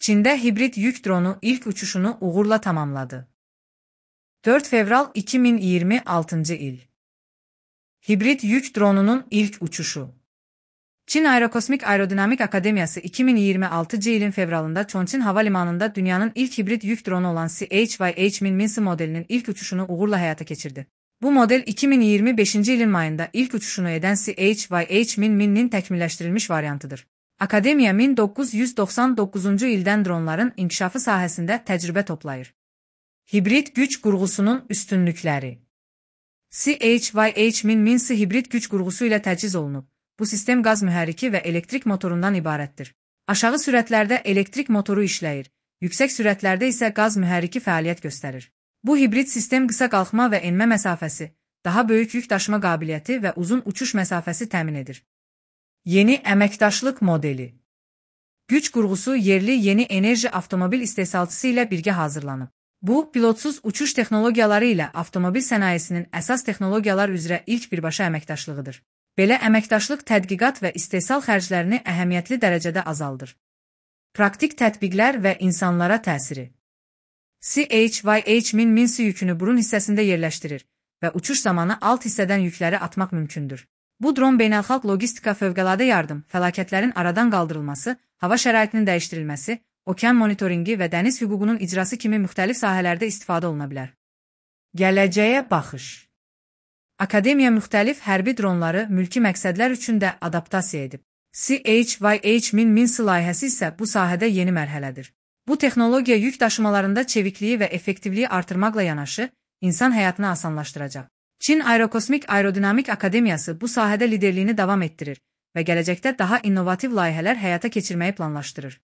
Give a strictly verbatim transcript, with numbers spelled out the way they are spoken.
Çində hibrid yük dronu ilk uçuşunu uğurla tamamladı. dörd fevral iki min iyirmi altıncı il. Hibrid yük dronunun ilk uçuşu. Çin Aerokosmik Aerodinamik Akademiyası iki min iyirmi altıncı ilin fevralında Chongqing Havalimanı'nda dünyanın ilk hibrid yük dronu olan C H Y H min Minsi modelinin ilk uçuşunu uğurla hayata geçirdi. Bu model iki min iyirmi beşinci ilin mayında ilk uçuşunu eden C H Y H min Min'nin təkmilləşdirilmiş variantıdır. Akademiya min doqquz yüz doxsan doqquzuncu ildən dronların inkişafı sahəsində təcrübə toplayır. Hibrid güc qurğusunun üstünlükləri. C H Y H min Minsi hibrid güc qurğusu ilə təchiz olunub. Bu sistem qaz mühərriki və elektrik motorundan ibarətdir. Aşağı sürətlərdə elektrik motoru işləyir, yüksək sürətlərdə isə qaz mühərriki fəaliyyət göstərir. Bu hibrid sistem qısa qalxma və enmə məsafəsi, daha böyük yük daşıma qabiliyyəti və uzun uçuş məsafəsi təmin edir. Yeni əməkdaşlıq modeli. Güc qurğusu yerli yeni enerji avtomobil istehsalçısı ilə birgə hazırlanıb. Bu, pilotsuz uçuş texnologiyaları ilə avtomobil sənayesinin əsas texnologiyalar üzrə ilk birbaşa əməkdaşlığıdır. Belə əməkdaşlıq tədqiqat və istehsal xərclərini əhəmiyyətli dərəcədə azaldır. Praktik tətbiqlər və insanlara təsiri. C H Y H min Minsi yükünü burun hissəsində yerləşdirir və uçuş zamanı alt hissədən yükləri atmaq mümkündür. Bu dron beynəlxalq logistika, fövqəladə yardım, fəlakətlərin aradan qaldırılması, hava şəraitinin dəyişdirilməsi, okean monitoringi və dəniz hüququnun icrası kimi müxtəlif sahələrdə istifadə oluna bilər. Gələcəyə baxış. Akademiya müxtəlif hərbi dronları mülki məqsədlər üçün də adaptasiya edib. C H Y H min Minsi layihəsi isə bu sahədə yeni mərhələdir. Bu texnologiya yük daşımalarında çevikliyi və effektivliyi artırmaqla yanaşı, insan həyatını asanlaşdıracaq. Çin Aerokosmik Aerodinamik Akademiyası bu sahədə liderliyini davam etdirir və gələcəkdə daha innovativ layihələr həyata keçirməyi planlaşdırır.